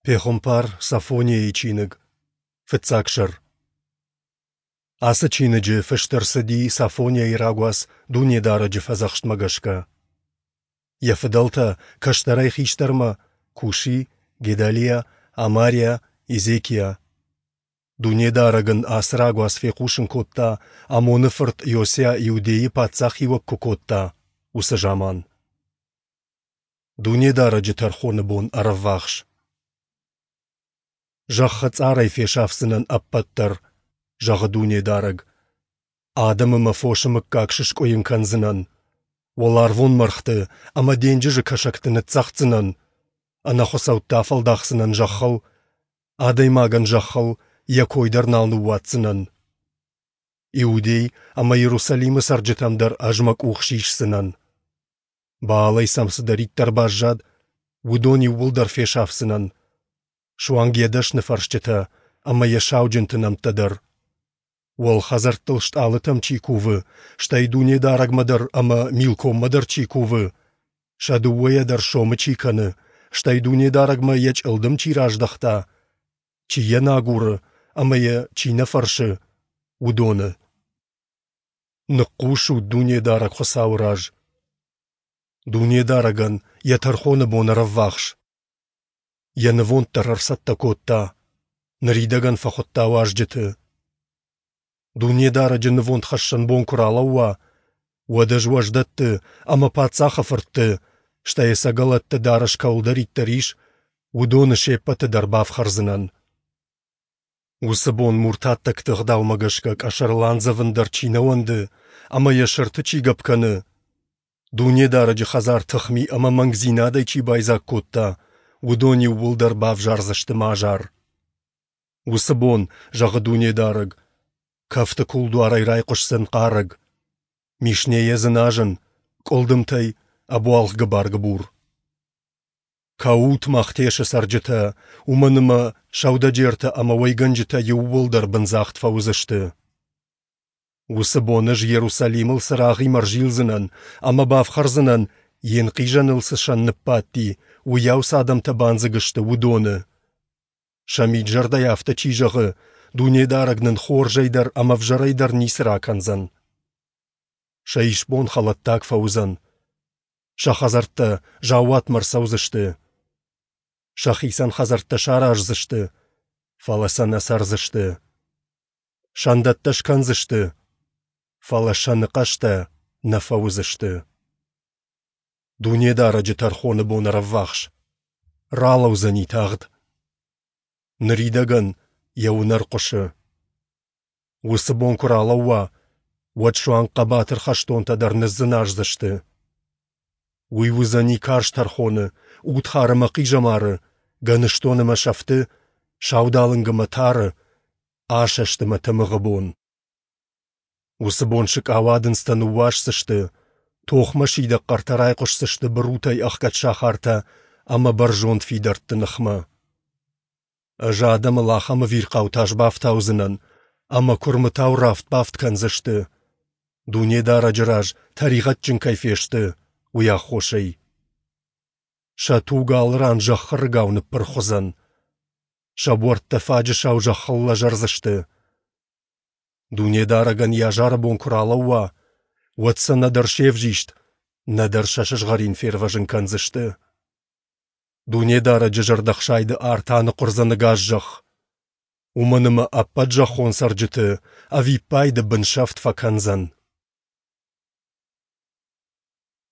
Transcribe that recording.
Пехуымпар Софонийы чиныг, фыццаг сӕр. Ацы чиныджы фыст ӕрцыди Софонийы рагуац Дунедарӕджы фӕдзӕхстмӕ гӕсгӕ. Йӕ фыдӕлтӕ, кӕстӕрӕй хистӕрмӕ, Куши, Гедалиа, Амариа, Езекиа. Дунедарӕг ын ацы рагуац фехъусын кодта, Амоны фырт Иосиа Иудейы паддзахиуӕг куы кодта, уыцы заман. Дунедарӕджы тӕрхоны бон ӕрӕввахс. Зӕххы цъарӕй фесафдзынӕн ӕппӕт дӕр, зӕгъы Дунедарӕг. Адӕмы мӕ фосы мыггаг сыскъуыйын кӕндзынӕн, уӕларвон мӕргъты ӕмӕ денджызы кӕсӕгты ныццӕгъддзынӕн, ӕнӕхуыцӕутты афӕлдахдзынӕн зӕххыл, адӕймагӕн зӕххыл йӕ кой дӕр нал ныууадздзынӕн. Иудей ӕмӕ Иерусалимы цӕрджытӕм дӕр ӕз мӕ къух сисдзынӕн. Баалӕй сӕм цыдӕриддӕр баззад, уыдон иууылдӕр фесафдзынӕн, суанг йӕ дӕсныфӕрсджытӕ ӕмӕ йӕ сауджынты нӕмттӕ дӕр. Уӕлхӕдзӕрттыл стъалытӕм чи кувы, стӕй Дунедарӕгмӕ дӕр ӕмӕ Милкоммӕ дӕр чи кувы, сӕ дыууӕйӕ дӕр сомы чи кӕны, стӕй Дунедарӕгмӕ йӕ чъылдым чи раздӕхта, чи йӕ нӕ агуры ӕмӕ йӕ чи нӕ фӕрсы, уыдоны. Ныхъхъус ут Дунедарӕг Хуыцауы раз. Дунедарӕгӕн йӕ тӕрхоны бон ӕрӕввахс. Йӕ нывонд дӕр ӕрцӕттӕ кодта, ныридӕгӕн фӕхуыдта уазджыты. Дунедарӕджы нывондхӕссӕн бон куы ралӕууа, уӕд ӕз уӕздӕтты ӕмӕ паддзахы фыртты, стӕй ӕцӕгӕлӕтты дарӕс кӕуылдӕриддӕр ис, уыдоны се ппӕты дӕр бафхӕрдзынӕн. Уыцы бон муртаттӕгты ӕгъдаумӕ гӕсгӕ къӕсӕрыл андзӕвын дӕр чи нӕ уӕнды ӕмӕ йӕ сӕрты чи гӕпп кӕны, Дунедарӕджы хӕдзар тыхми ӕмӕ мӕнгдзинадӕй чи байдзаг кодта, уыдон иууылдӕр бавзардзысты мӕ азар. Уыцы бон, зӕгъы Дунедарӕг, кӕфты кулдуарӕй райхъуысдзӕн хъарӕг, Мишнейӕ дзыназын, къуылдымтӕй ӕбуалгъ гыбар-гыбур. Кӕут, Махтешы цӕрджытӕ, уымӕн ӕмӕ сӕудӕджертӕ ӕмӕ уӕйгӕнджытӕ иууылдӕр бындзагъд фӕуыдзысты. Уыцы бон ӕз Иерусалимыл цырагъимӕ ӕрзилдзынӕн ӕмӕ бафхӕрдзынӕн, йе нхъизӕныл цы сӕн ныббадти, уыйау цы адӕмтӕ бандзыг сты, уыдоны. Сӕ мид-зӕрдӕйӕ афтӕ чи зӕгъы, Дунедарӕг нын хорзӕй дӕр ӕмӕ ӕвзӕрӕй дӕр ницы ракӕндзӕн. Сӕ исбон хӕлӕттаг фӕуыдзӕн. Сӕ хӕдзӕрттӕ заууатмӕ ӕрцӕудзысты. Сӕхицӕн хӕдзӕрттӕ сараздзысты, фӕлӕ сӕ нӕ цӕрдзысты. Сӕндӕттӕ скӕндзысты, фӕлӕ сӕны хъӕстӕ нӕ фӕуыдзысты. Дунедарӕджы тӕрхоны бон ӕрӕввахс. Ралӕудзӕни тагъд. Ныридӕгӕн йӕ уынӕр хъуысы. Уыцы бон куы ралӕууа, уӕд суанг хъӕбатыр хӕстонтӕ дӕр ныдздзыназдзысты. Уый уыдзӕни карз тӕрхоны, удхар ӕмӕ хъизӕмары, гӕныстон ӕмӕ сӕфты, саудалынг ӕмӕ тары, асӕст ӕмӕ тымыгъы бон. Уыцы бон сыкъауадындзтӕ ныууасдзысты, тохмӕ сидӕг хъӕртӕ райхъуысдзысты бырутӕй ӕхгӕд сахартӕ ӕмӕ бӕрзонд фидӕртты ныхмӕ. Ӕз адӕмыл ахӕм ӕвирхъау тас бафтаудзынӕн, ӕмӕ куырмытау рафт-бафт кӕндзысты, Дунедарӕджы раз тӕригъӕдджын кӕй фесты, уый аххосӕй. Сӕ туг алы ран зӕххы рыгау ныппырх уыдзӕн. Сӕ буӕрттӕ фаджысау зӕххыл лӕзӕрдзысты. Дунедарӕгӕн йӕ азары бон куы ралӕууа, уӕд сӕ нӕдӕр се взист, нӕдӕр сӕ сызгъӕрин фервӕзын кӕндзысты. Дунедарӕджы зӕрдӕхсайды арт аныхъуырдзӕн ӕгас зӕхх. Уымӕн ӕмӕ ӕппӕт зӕххон цӕрджыты ӕвиппайды бынсӕфт фӕкӕндзӕн.